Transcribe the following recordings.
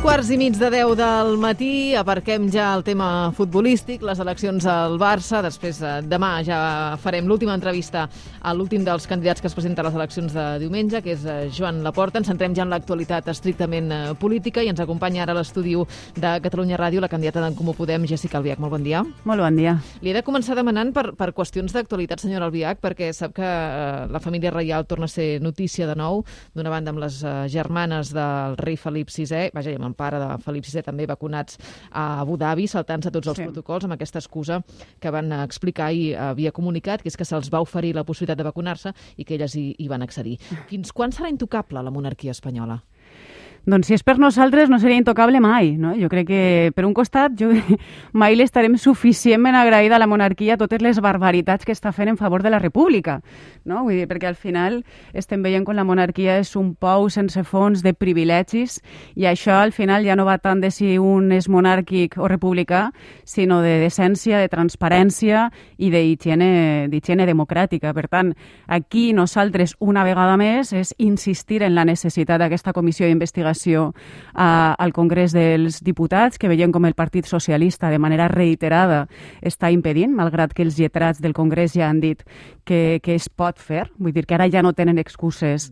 Quarts i mig de 10 del matí, aparquem ja el tema futbolístic, les eleccions al Barça, després demà ja farem l'última entrevista a l'últim dels candidats que es presenta a les eleccions de diumenge, que és Joan Laporta. Ens centrem ja en l'actualitat estrictament política i ens acompanya ara a l'estudi de Catalunya Ràdio la candidata d'en Comú Podem, Jéssica Albiach. Molt bon dia. Molt bon dia. Li he de començar demanant per qüestions d'actualitat, senyora Albiach, perquè sap que la família reial torna a ser notícia de nou, d'una banda amb les germanes del rei Felip VI, vaja, i amb el pare de Felip VI també vacunats a Abu Dhabi, saltant-se tots els protocols amb aquesta excusa que van explicar i havia comunicat, que és que se'ls va oferir la possibilitat de vacunar-se i que elles hi van accedir. Fins quan serà intocable la monarquia espanyola? Doncs si és per nosaltres no seria intocable mai, no? Jo crec que, per un costat, mai l'estarem suficientment agraïda a la monarquia totes les barbaritats que està fent en favor de la república, no? Vull dir, perquè al final estem veient com la monarquia és un pou sense fons de privilegis i això al final ja no va tant de si un és monàrquic o republicà, sinó de decència, de transparència i d'higiene democràtica. Per tant, aquí nosaltres, una vegada més, és insistir en la necessitat d'aquesta comissió d'investigació al Congrés dels Diputats, que veiem com el Partit Socialista de manera reiterada està impedint, malgrat que els lletrats del Congrés ja han dit que es pot fer. Vull dir que ara ja no tenen excuses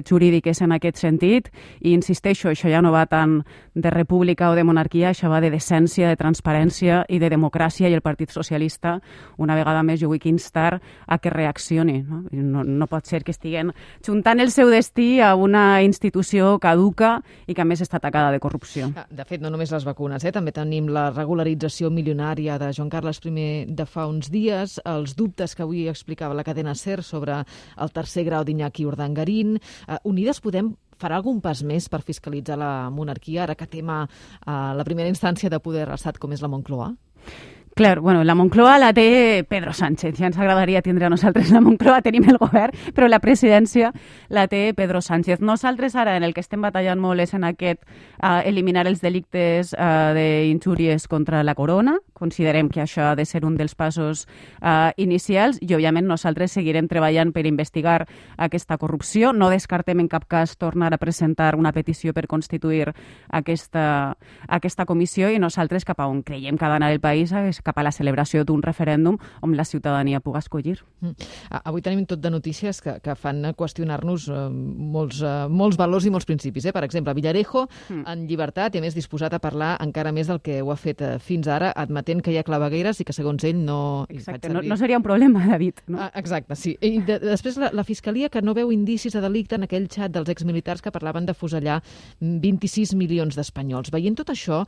jurídiques en aquest sentit i insisteixo, això ja no va tant de república o de monarquia, això va de decència, de transparència i de democràcia i el Partit Socialista, una vegada més, jo vull instar a que reaccioni. No pot ser que estiguen juntant el seu destí a una institució caduca i que a més està atacada de corrupció. De fet, no només les vacunes, també tenim la regularització milionària de Joan Carles I de fa uns dies, els dubtes que avui explicava la cadena SER sobre el tercer grau d'Iñaki Urdangarín. Unides Podem farà algun pas més per fiscalitzar la monarquia, ara que tema la primera instància de poder a l'estat com és la Moncloa? Clar, bueno, la Moncloa la té Pedro Sánchez. Ja ens agradaria tindre a nosaltres la Moncloa, tenim el govern, però la presidència la té Pedro Sánchez. Nosaltres ara en el que estem batallant molt és en aquest eliminar els delictes d'injúries contra la corona. Considerem que això ha de ser un dels passos inicials i, òbviament, nosaltres seguirem treballant per investigar aquesta corrupció. No descartem en cap cas tornar a presentar una petició per constituir aquesta comissió i nosaltres cap a on creiem que ha d'anar el país és cap a la celebració d'un referèndum on la ciutadania pugui escollir. Avui tenim tot de notícies que fan qüestionar-nos molts valors i molts principis. Per exemple, Villarejo en llibertat i a més disposat a parlar encara més del que ho ha fet fins ara, admetent que hi ha clavegueres i que segons ell no... Exacte, no seria un problema, David. No? Exacte, sí. I després la Fiscalia que no veu indicis de delicte en aquell xat dels exmilitars que parlaven de fusellar 26 milions d'espanyols. Veient tot això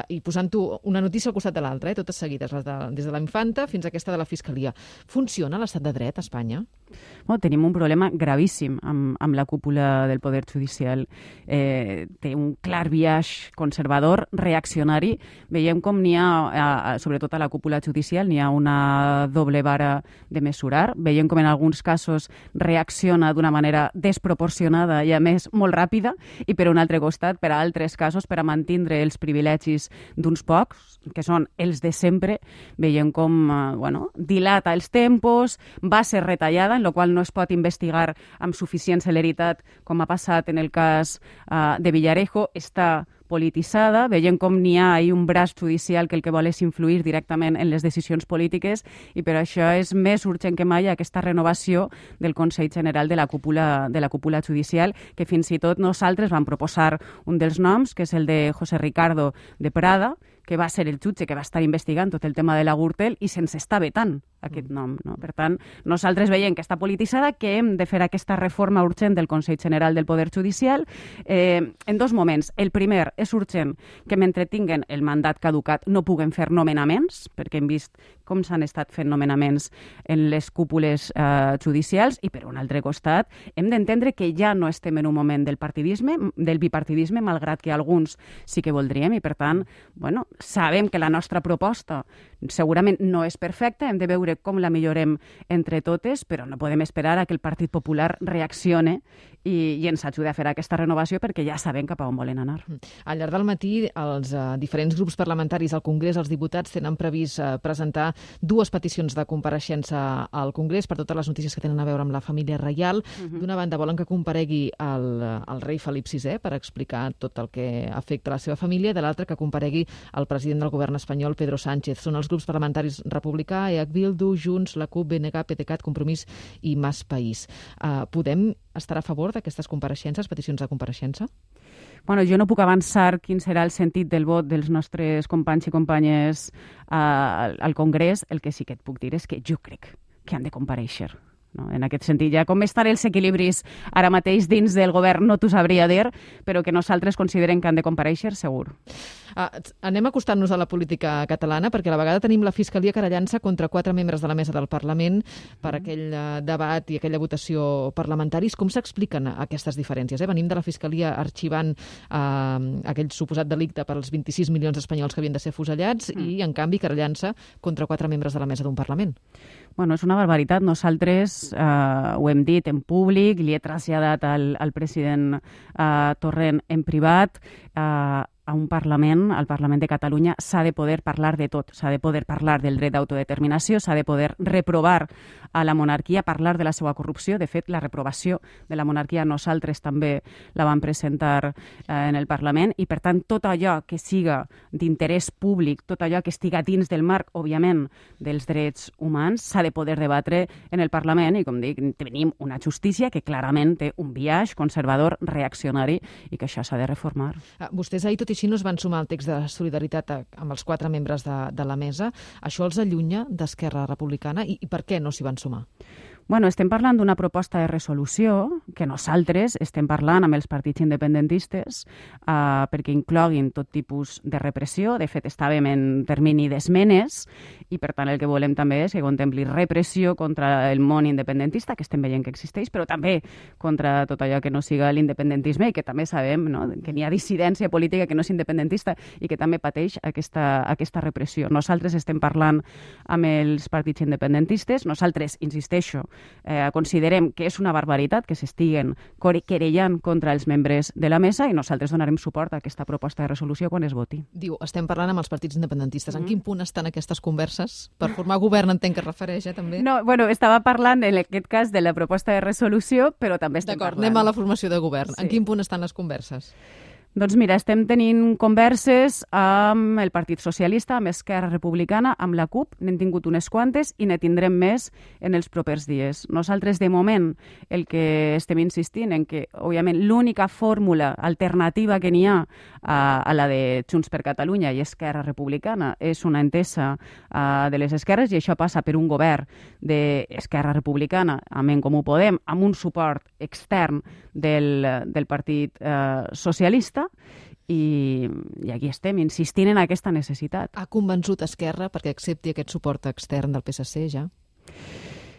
i posant-ho una notícia al costat de l'altra, totes seguides, des de la Infanta fins a aquesta de la Fiscalia. Funciona l'estat de dret a Espanya? Bueno, tenim un problema gravíssim amb la cúpula del Poder Judicial. Té un clar biaix conservador, reaccionari. Veiem com n'hi ha, sobretot a la cúpula judicial, n'hi ha una doble vara de mesurar. Veiem com en alguns casos reacciona d'una manera desproporcionada i, a més, molt ràpida, i per un altre costat, per a altres casos, per a mantindre els privilegis d'uns pocs, que són els de sempre, veiem com dilata els tempos, va ser retallada, en la qual no es pot investigar amb suficient celeritat, com ha passat en el cas de Villarejo, està polititzada, veiem com n'hi ha un braç judicial que el que vol és influir directament en les decisions polítiques i per això és més urgent que mai aquesta renovació del Consell General de la cúpula judicial, que fins i tot nosaltres vam proposar un dels noms, que és el de José Ricardo de Prada, que va ser el jutge que va estar investigant tot el tema de la Gürtel i se'ns està vetant aquest nom. No? Per tant, nosaltres veiem que està polititzada, que hem de fer aquesta reforma urgent del Consell General del Poder Judicial en dos moments. El primer, és urgent que mentre tinguen el mandat caducat no puguen fer nomenaments, perquè hem vist com s'han estat fent nomenaments en les cúpules judicials, i per un altre costat hem d'entendre que ja no estem en un moment del bipartidisme, malgrat que alguns sí que voldríem, i per tant, sabem que la nostra proposta segurament no és perfecta, hem de veure com la millorem entre totes, però no podem esperar a que el Partit Popular reaccione i ens ajuda a fer aquesta renovació perquè ja sabem cap a on volen anar. Al llarg del matí, els diferents grups parlamentaris al Congrés, els diputats, tenen previst presentar 2 peticions de compareixença al Congrés per totes les notícies que tenen a veure amb la família reial. D'una banda, volen que comparegui el rei Felip VI per explicar tot el que afecta la seva família, i de l'altra que comparegui el president del govern espanyol, Pedro Sánchez. Són els grups parlamentaris Republicà, EH Bildu, Junts, la CUP, BNG, PDeCAT, Compromís i Mas País. Podem estar a favor d'aquestes compareixences, peticions de compareixença? Bueno, jo no puc avançar quin serà el sentit del vot dels nostres companys i companyes al Congrés. El que sí que et puc dir és que jo crec que han de comparèixer. No? En aquest sentit, ja com estan els equilibris ara mateix dins del govern no t'ho sabria dir, però que nosaltres considerem que han de comparèixer, segur. Anem acostant-nos a la política catalana, perquè a la vegada tenim la Fiscalia querellant-se contra 4 membres de la mesa del Parlament per aquell debat i aquella votació parlamentaris. Com s'expliquen aquestes diferències? Venim de la Fiscalia arxivant aquell suposat delicte per als 26 milions d'espanyols que havien de ser afusellats i, en canvi, querellant-se contra 4 membres de la mesa d'un Parlament. Bueno, és una barbaritat. Nosaltres ho hem dit en públic, li he traslladat al president Torrent en privat. A un Parlament, al Parlament de Catalunya, s'ha de poder parlar de tot. S'ha de poder parlar del dret d'autodeterminació, s'ha de poder reprovar a la monarquia, parlar de la seva corrupció. De fet, la reprovació de la monarquia nosaltres també la vam presentar en el Parlament i, per tant, tot allò que siga d'interès públic, tot allò que estiga dins del marc, òbviament, dels drets humans, s'ha de poder debatre en el Parlament i, com dic, tenim una justícia que clarament té un biaix conservador, reaccionari i que això s'ha de reformar. Vostès ahir, tot i així, no es van sumar al text de solidaritat amb els 4 membres de la mesa. Això els allunya d'Esquerra Republicana i per què no s'hi van sumar? Bueno, estem parlant d'una proposta de resolució que nosaltres estem parlant amb els partits independentistes perquè incloguin tot tipus de repressió. De fet, estàvem en termini d'esmenes i, per tant, el que volem també és que contempli repressió contra el món independentista, que estem veient que existeix, però també contra tot allò que no siga l'independentisme i que també sabem, no?, que n'hi ha dissidència política que no és independentista i que també pateix aquesta repressió. Nosaltres estem parlant amb els partits independentistes. Nosaltres, insisteixo, considerem que és una barbaritat que s'estiguen querellant contra els membres de la mesa i nosaltres donarem suport a aquesta proposta de resolució quan es voti. Diu, estem parlant amb els partits independentistes. En quin punt estan aquestes converses? Per formar govern entenc que es refereix, també? No, bueno, estava parlant en aquest cas de la proposta de resolució, però també estem parlant. D'acord, anem a la formació de govern. Sí. En quin punt estan les converses? Doncs mira, estem tenint converses amb el Partit Socialista, amb Esquerra Republicana, amb la CUP, n'hem tingut unes quantes i ne tindrem més en els propers dies. Nosaltres, de moment, el que estem insistint en que, òbviament, l'única fórmula alternativa que n'hi ha a la de Junts per Catalunya i Esquerra Republicana és una entesa de les esquerres i això passa per un govern d'Esquerra Republicana, amb En Comú Podem, amb un suport extern del Partit Socialista, i aquí estem, insistint en aquesta necessitat. Ha convençut Esquerra perquè accepti aquest suport extern del PSC ja?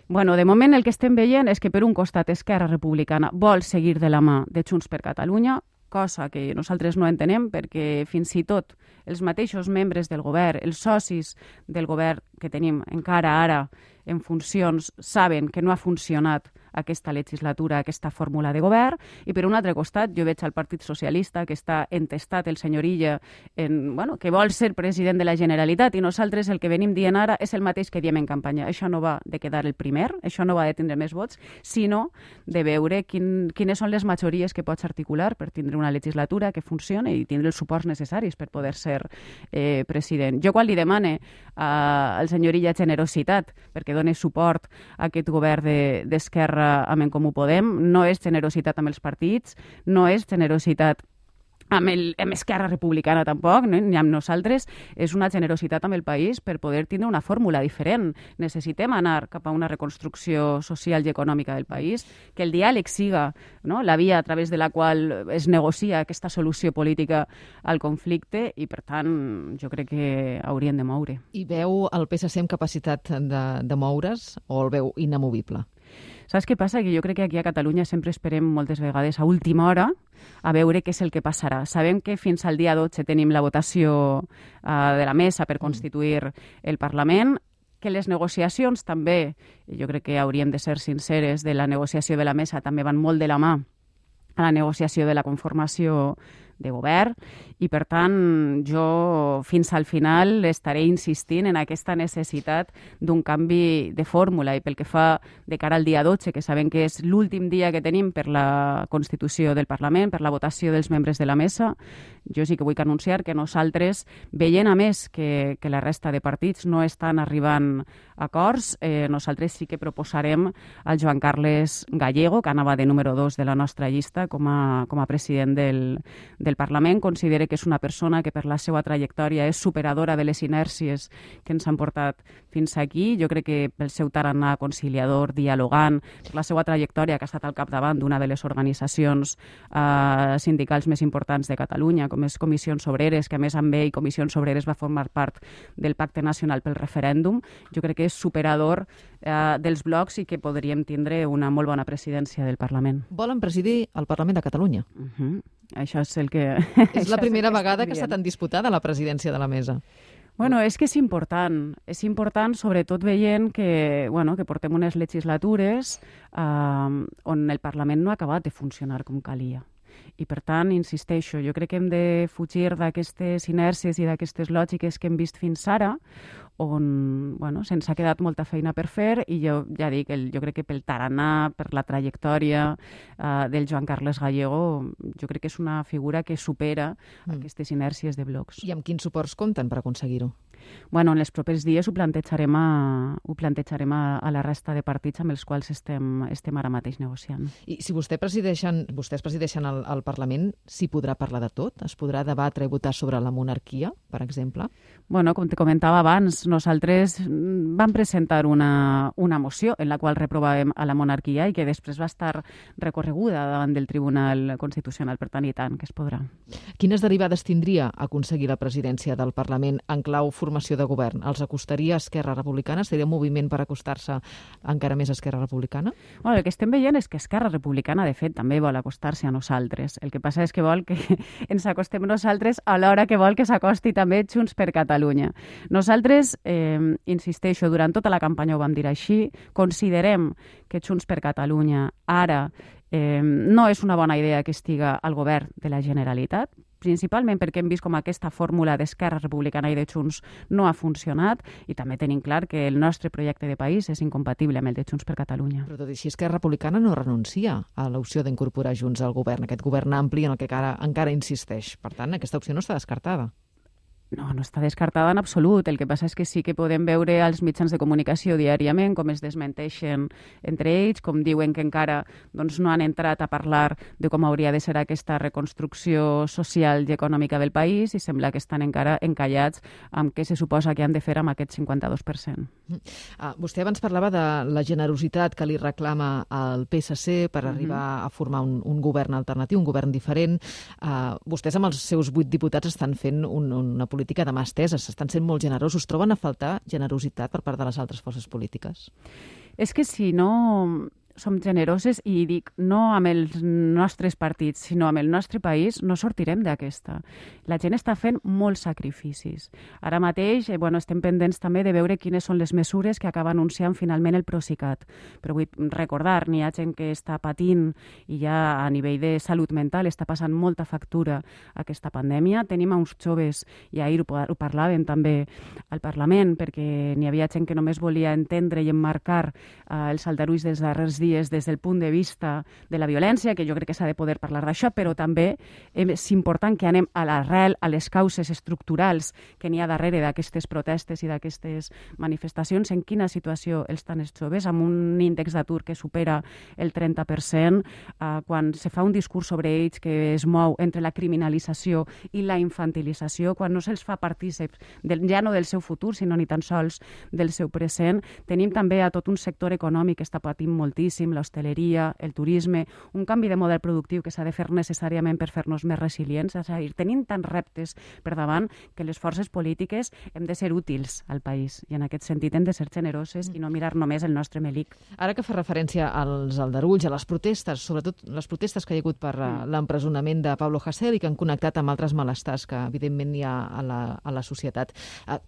Bueno, de moment el que estem veient és que per un costat Esquerra Republicana vol seguir de la mà de Junts per Catalunya, cosa que nosaltres no entenem perquè fins i tot els mateixos membres del govern, els socis del govern que tenim encara ara en funcions, saben que no ha funcionat aquesta legislatura, aquesta fórmula de govern, i per un altre costat jo veig al Partit Socialista que està entestat el senyor Illa que vol ser president de la Generalitat i nosaltres el que venim dient ara és el mateix que diem en campanya. Això no va de quedar el primer, això no va de tindre més vots, sinó de veure quines són les majories que pots articular per tindre una legislatura que funcioni i tindre els suports necessaris per poder ser president. Jo quan li demane al senyor Illa generositat perquè doni suport a aquest govern d'Esquerra amb En Comú Podem, no és generositat amb els partits, no és generositat amb Esquerra Republicana tampoc, ni amb nosaltres, és una generositat amb el país per poder tindre una fórmula diferent. Necessitem anar cap a una reconstrucció social i econòmica del país, que el diàleg siga la via a través de la qual es negocia aquesta solució política al conflicte i, per tant, jo crec que haurien de moure. I veu el PSC amb capacitat de moure's o el veu inamovible? Saps què passa? Que jo crec que aquí a Catalunya sempre esperem moltes vegades a última hora a veure què és el que passarà. Sabem que fins al dia 12 tenim la votació de la mesa per constituir el Parlament, que les negociacions també, jo crec que hauríem de ser sinceres, de la negociació de la mesa també van molt de la mà a la negociació de la conformació de govern i, per tant, jo fins al final estaré insistint en aquesta necessitat d'un canvi de fórmula i pel que fa de cara al dia 12, que sabem que és l'últim dia que tenim per la Constitució del Parlament, per la votació dels membres de la mesa, jo sí que vull anunciar que nosaltres, veient a més que la resta de partits no estan arribant a acords, nosaltres sí que proposarem al Joan Carles Gallego, que anava de número 2 de la nostra llista com a president del Parlament. Considere que és una persona que per la seva trajectòria és superadora de les inèrcies que ens han portat fins aquí. Jo crec que pel seu tarannà conciliador, dialogant, per la seva trajectòria, que ha estat al capdavant d'una de les organitzacions sindicals més importants de Catalunya, com és Comissions Obreres, que a més amb ell Comissions Obreres va formar part del Pacte Nacional pel Referèndum. Jo crec que és superador dels blocs i que podríem tindre una molt bona presidència del Parlament. Volen presidir el Parlament de Catalunya. Això és el que... És la primera vegada que està tan disputada la presidència de la mesa. Bueno, és que és important sobretot veient que portem unes legislatures on el Parlament no ha acabat de funcionar com calia. I, per tant, insisteixo, jo crec que hem de fugir d'aquestes inèrcies i d'aquestes lògiques que hem vist fins ara, on se'ns ha quedat molta feina per fer i jo ja dic, jo crec que pel tarannà, per la trajectòria del Joan Carles Gallego, jo crec que és una figura que supera aquestes inèrcies de blocs. I amb quins suports compten per aconseguir-ho? En els propers dies ho plantejarem a la resta de partits amb els quals estem ara mateix negociant. I si vostès presideixen el Parlament, s'hi podrà parlar de tot? Es podrà debatre i votar sobre la monarquia, per exemple? Com te comentava abans, nosaltres vam presentar una moció en la qual reprovàvem a la monarquia i que després va estar recorreguda davant del Tribunal Constitucional, per tant, i tant, que es podrà. Quines derivades tindria aconseguir la presidència del Parlament en clau formació de govern? Els acostaria a Esquerra Republicana? Seria un moviment per acostar-se encara més a Esquerra Republicana? El que estem veient és que Esquerra Republicana, de fet, també vol acostar-se a nosaltres. El que passa és que vol que ens acostem nosaltres alhora que vol que s'acosti també Junts per Catalunya. Nosaltres, insisteixo, durant tota la campanya ho vam dir així, considerem que Junts per Catalunya ara no és una bona idea que estiga al govern de la Generalitat, principalment perquè hem vist com aquesta fórmula d'Esquerra Republicana i de Junts no ha funcionat i també tenim clar que el nostre projecte de país és incompatible amb el de Junts per Catalunya. Però tot i així, Esquerra Republicana no renuncia a l'opció d'incorporar Junts al govern, aquest govern ampli en el que encara insisteix. Per tant, aquesta opció no està descartada. No està descartada en absolut. El que passa és que sí que podem veure als mitjans de comunicació diàriament com es desmenteixen entre ells, com diuen que encara no han entrat a parlar de com hauria de ser aquesta reconstrucció social i econòmica del país i sembla que estan encara encallats amb què se suposa que han de fer amb aquest 52%. Vostè abans parlava de la generositat que li reclama el PSC per arribar a formar un govern alternatiu, un govern diferent. Vostès amb els seus 8 diputats estan fent una política de mà estesa, estan sent molt generosos. Troben a faltar generositat per part de les altres forces polítiques? És que si no som generoses, i dic no amb els nostres partits, sinó amb el nostre país, no sortirem d'aquesta. La gent està fent molts sacrificis. Ara mateix estem pendents també de veure quines són les mesures que acaba anunciant finalment el Procicat. Però vull recordar, n'hi ha gent que està patint i ja a nivell de salut mental està passant molta factura aquesta pandèmia. Tenim uns joves, i ahir ho parlàvem també al Parlament, perquè n'hi havia gent que només volia entendre i emmarcar els aldarulls dels darrers dies des del punt de vista de la violència, que jo crec que s'ha de poder parlar d'això, però també és important que anem a l'arrel, a les causes estructurals que n'hi ha darrere d'aquestes protestes i d'aquestes manifestacions, en quina situació estan els joves, amb un índex d'atur que supera el 30%, quan se fa un discurs sobre ells que es mou entre la criminalització i la infantilització, quan no se'ls fa partícips ja no del seu futur, sinó ni tan sols del seu present. Tenim també a tot un sector econòmic que està patint moltíssim, l'hostaleria, el turisme, un canvi de model productiu que s'ha de fer necessàriament per fer-nos més resilients. És a dir, tenim tants reptes per davant que les forces polítiques hem de ser útils al país i en aquest sentit hem de ser generoses i no mirar només el nostre melic. Ara que fa referència als aldarulls, a les protestes, sobretot les protestes que hi ha hagut per l'empresonament de Pablo Hasél i que han connectat amb altres malestars que evidentment hi ha a la societat,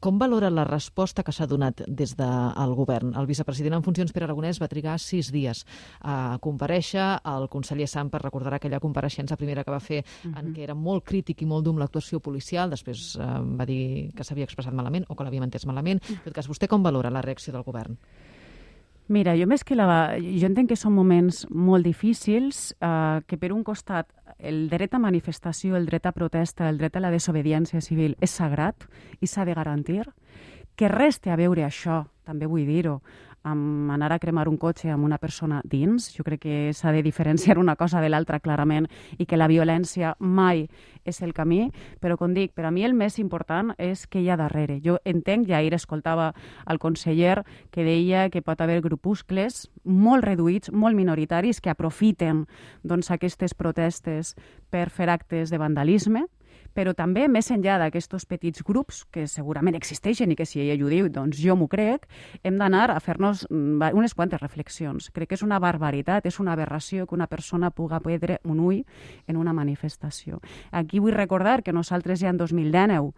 com valora la resposta que s'ha donat des del govern? El vicepresident en funcions, Pere Aragonès, va trigar 6 dies dies a comparèixer. El conseller Samper recordarà aquella compareixença primera que va fer en què era molt crític i molt dur amb l'actuació policial, després va dir que s'havia expressat malament o que l'havíem entès malament. En tot cas, vostè com valora la reacció del govern? Mira, jo entenc que són moments molt difícils, que per un costat el dret a manifestació, el dret a protesta, el dret a la desobediència civil és sagrat i s'ha de garantir, que res té a veure això, també vull dir-ho, amb anar a cremar un cotxe amb una persona dins. Jo crec que s'ha de diferenciar una cosa de l'altra clarament i que la violència mai és el camí, però com dic, per a mi el més important és què hi ha darrere. Jo entenc, ja ahir escoltava el conseller que deia que pot haver grupuscles molt reduïts, molt minoritaris, que aprofiten aquestes protestes per fer actes de vandalisme, però també, més enllà d'aquests petits grups, que segurament existeixen i que si ella ho diu, doncs jo m'ho crec, hem d'anar a fer-nos unes quantes reflexions. Crec que és una barbaritat, és una aberració que una persona puga perdre un ull en una manifestació. Aquí vull recordar que nosaltres ja en 2019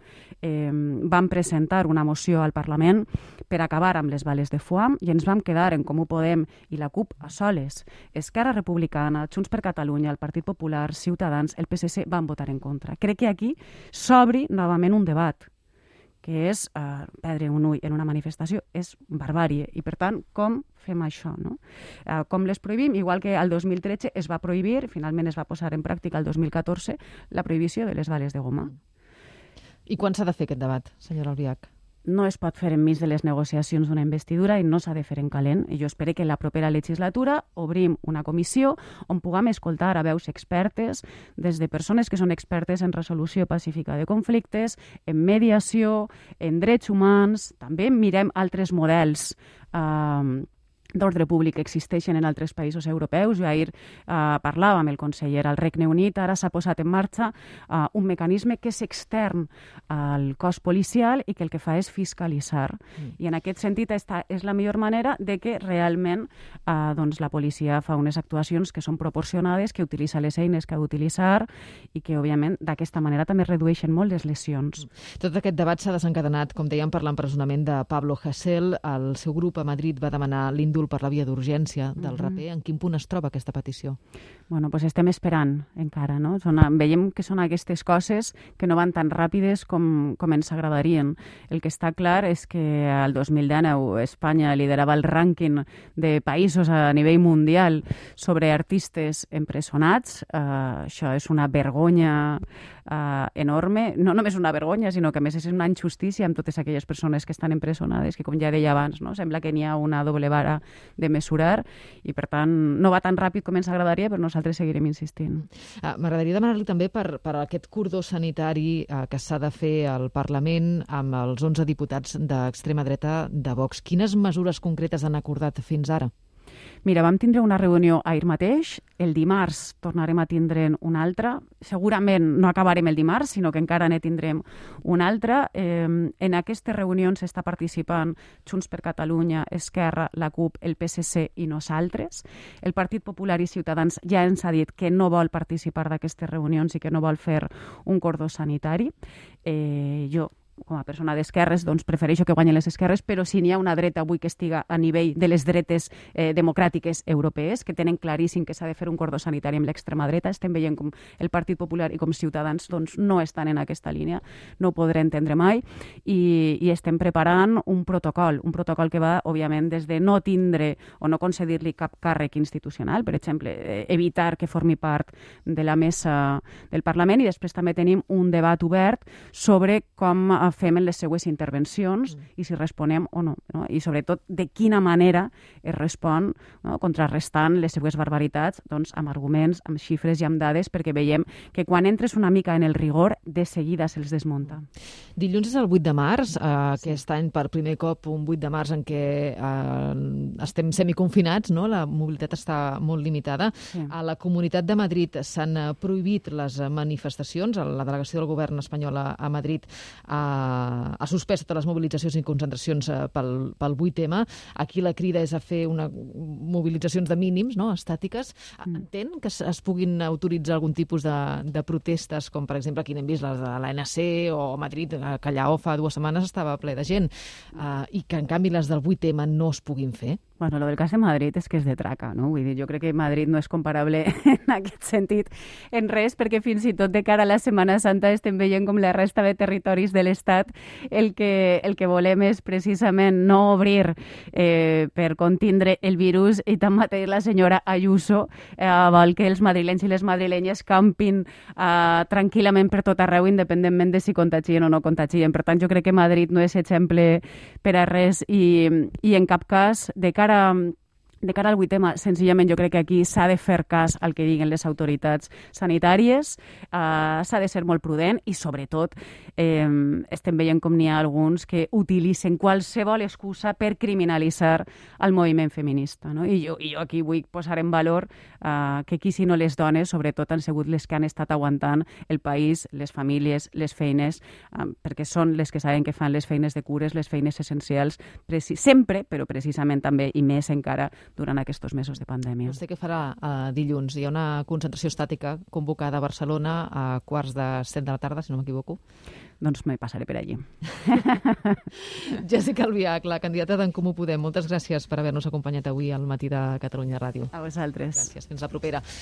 vam presentar una moció al Parlament per acabar amb les bales de foam i ens vam quedar en Comú Podem i la CUP a soles. Esquerra Republicana, Junts per Catalunya, el Partit Popular, Ciutadans, el PSC van votar en contra. Crec que aquí s'obri novament un debat, que és perdre un ull en una manifestació és barbàrie. I, per tant, com fem això? No? Com les prohibim? Igual que el 2013 es va prohibir, finalment es va posar en pràctica el 2014, la prohibició de les bales de goma. I quan s'ha de fer aquest debat, senyora Albiach? No es pot fer enmig de les negociacions d'una investidura i no s'ha de fer en calent. I jo espero que en la propera legislatura obrim una comissió on puguem escoltar a veus expertes, des de persones que són expertes en resolució pacífica de conflictes, en mediació, en drets humans. També mirem altres models d'ordre públic que existeixen en altres països europeus. Jo ahir parlava amb el conseller al Regne Unit, ara s'ha posat en marxa un mecanisme que és extern al cos policial i que el que fa és fiscalitzar. I en aquest sentit esta és la millor manera de que realment la policia fa unes actuacions que són proporcionades, que utilitza les eines que ha d'utilitzar i que, òbviament, d'aquesta manera també redueixen molt les lesions. Tot aquest debat s'ha desencadenat, com dèiem, per l'empresonament de Pablo Hasél. El seu grup a Madrid va demanar l'indult per la via d'urgència del raper. En quin punt es troba aquesta petició? Bueno, doncs estem esperant encara, no? Veiem que són aquestes coses que no van tan ràpides com ens agradarien. El que està clar és que el 2019 Espanya liderava el rànquing de països a nivell mundial sobre artistes empresonats. Això és una vergonya enorme. No només una vergonya, sinó que a més és una injustícia amb totes aquelles persones que estan empresonades, que com ja deia abans, no? Sembla que n'hi ha una doble vara de mesurar i, per tant, no va tan ràpid com ens agradaria, però nosaltres seguirem insistint. M'agradaria demanar-li també per aquest cordó sanitari que s'ha de fer al Parlament amb els 11 diputats d'extrema dreta de Vox. Quines mesures concretes han acordat fins ara? Mira, vam tindre una reunió ahir mateix, el dimarts tornarem a tindre'n una altra, segurament no acabarem el dimarts, sinó que encara ne tindrem una altra. En aquestes reunions està participant Junts per Catalunya, Esquerra, la CUP, el PSC i nosaltres. El Partit Popular i Ciutadans ja ens ha dit que no vol participar d'aquestes reunions i que no vol fer un cordó sanitari. Jo, com a persona d'esquerres, doncs prefereixo que guanyen les esquerres, però si n'hi ha una dreta avui que estiga a nivell de les dretes democràtiques europees, que tenen claríssim que s'ha de fer un cordó sanitari amb l'extrema dreta, estem veient com el Partit Popular i com Ciutadans doncs, no estan en aquesta línia, no ho podré entendre mai, i estem preparant un protocol que va, òbviament, des de no tindre o no concedir-li cap càrrec institucional, per exemple, evitar que formi part de la mesa del Parlament, i després també tenim un debat obert sobre com fem en les seues intervencions i si responem o no, i sobretot de quina manera es respon, contrarrestant les seues barbaritats amb arguments, amb xifres i amb dades, perquè veiem que quan entres una mica en el rigor, de seguida se'ls desmunta. Dilluns és el 8 de març, aquest any per primer cop un 8 de març en què estem semiconfinats, la mobilitat està molt limitada. A la Comunitat de Madrid s'han prohibit les manifestacions, la delegació del govern espanyol a Madrid ha suspès totes les mobilitzacions i concentracions pel 8M. Aquí la crida és a fer mobilitzacions de mínims, estàtiques. Entén que es puguin autoritzar algun tipus de protestes, com per exemple aquí n'hem vist les de l'ANC o Madrid, que allà fa 2 setmanes estava ple de gent, i que en canvi les del 8M no es puguin fer? Bueno, lo del cas de Madrid és que és de traca, no? Vull dir, jo crec que Madrid no és comparable en aquest sentit en res, perquè fins i tot de cara a la Setmana Santa estem veient com la resta de territoris de l'Estat el que volem és precisament no obrir per contindre el virus, i tanmateix la senyora Ayuso vol que els madrilenys i les madrilenyes campin tranquil·lament per tot arreu, independentment de si contagien o no contagien. Per tant, jo crec que Madrid no és exemple per a res i en cap cas, de cara al 8M, senzillament jo crec que aquí s'ha de fer cas al que diguen les autoritats sanitàries, s'ha de ser molt prudent i, sobretot, estem veient com n'hi ha alguns que utilitzen qualsevol excusa per criminalitzar el moviment feminista. No? I jo aquí vull posar en valor que aquí, si no les dones, sobretot, han sigut les que han estat aguantant el país, les famílies, les feines, perquè són les que saben que fan les feines de cures, les feines essencials, sempre, però precisament també i més encara durant aquests mesos de pandèmia. No sé què farà dilluns. Hi ha una concentració estàtica convocada a Barcelona a 7:15 de la tarda, si no m'equivoco. Doncs me passaré per allí. Jessica Albiach, la candidata d'en Comú Podem, moltes gràcies per haver-nos acompanyat avui al Matí de Catalunya Ràdio. A vosaltres. Gràcies, fins la propera.